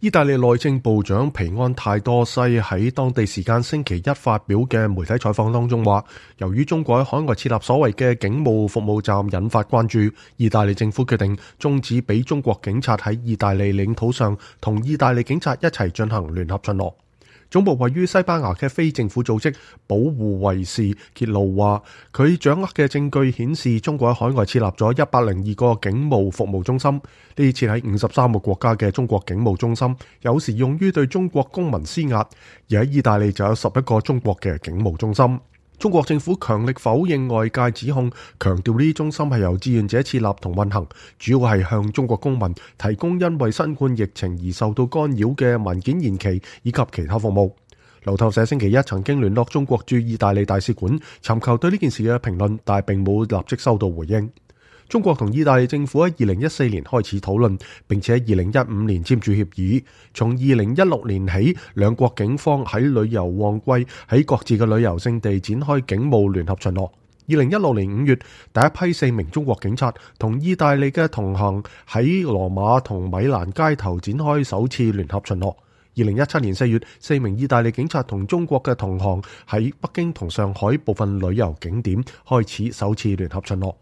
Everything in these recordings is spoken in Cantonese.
意大利內政部長皮安泰多西喺當地時間星期一發表嘅媒體採訪當中話，由於中國喺海外設立所謂嘅警務服務站引發關注，意大利政府決定終止俾中國警察喺意大利領土上同意大利警察一齊進行聯合巡邏。總部位於西班牙嘅非政府組織保護衛士揭露話，佢掌握嘅證據顯示中國喺海外設立咗102個警務服務中心，呢設喺53個國家嘅中國警務中心有時用於對中國公民施壓，而喺意大利就有11個中國嘅警務中心。中國政府強力否認外界指控，強調呢啲中心係由志願者設立同運行，主要係向中國公民提供因為新冠疫情而受到干擾嘅文件延期以及其他服務。路透社星期一曾經聯絡中國駐意大利大使館，尋求對呢件事嘅評論，但並冇立即收到回應。中國同意大利政府喺2014年開始討論，並且喺2015年簽署協議。從2016年起，兩國警方喺旅遊旺季喺各自嘅旅遊勝地展開警務聯合巡邏。2016年5月，第一批4名中國警察同意大利嘅同行喺羅馬同米蘭街頭展開首次聯合巡邏。2017年4月，4名意大利警察同中國嘅同行喺北京同上海部分旅遊景點開始首次聯合巡邏。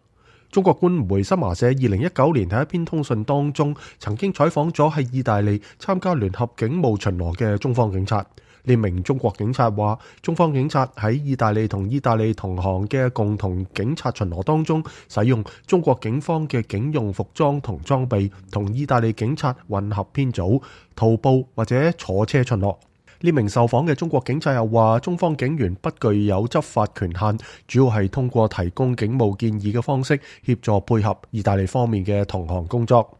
中國官媒新華社2019年喺一篇通訊當中，曾經採訪咗喺意大利參加聯合警務巡邏嘅中方警察。呢名中國警察話，中方警察喺意大利同意大利同行嘅共同警察巡邏當中，使用中國警方嘅警用服裝同裝備，同意大利警察混合編組，徒步或者坐車巡邏。呢名受訪嘅中國警察又話，中方警員不具有執法權限，主要係通過提供警務建議嘅方式協助配合意大利方面嘅同行工作。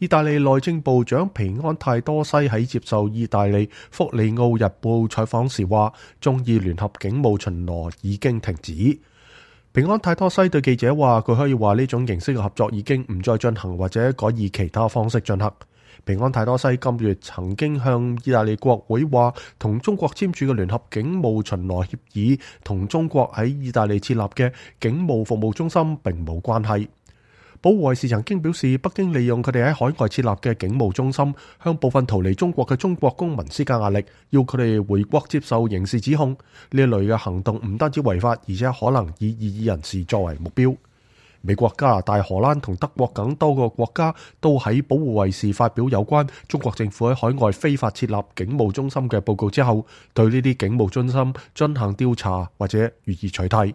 意大利內政部長皮安泰多西喺接受意大利福里奧日報採訪時話，中意聯合警務巡邏已經停止。皮安泰多西對記者話，佢可以話呢種形式嘅合作已經唔再進行，或者改以其他方式進行。皮安泰多西今月曾經向意大利國會話，同中國簽署嘅聯合警務巡邏協議同中國喺意大利設立嘅警務服務中心並冇關係。保護衛士曾經表示，北京利用佢哋喺海外設立嘅警務中心，向部分逃離中國嘅中國公民施加壓力，要佢哋回國接受刑事指控。呢一類嘅行動唔單止違法，而且可能以異議人士作為目標。美國、加拿大、荷蘭同德國等多個國家都喺保護衛士發表有關中國政府喺海外非法設立警務中心嘅報告之後，對呢啲警務中心進行調查或者予以取締。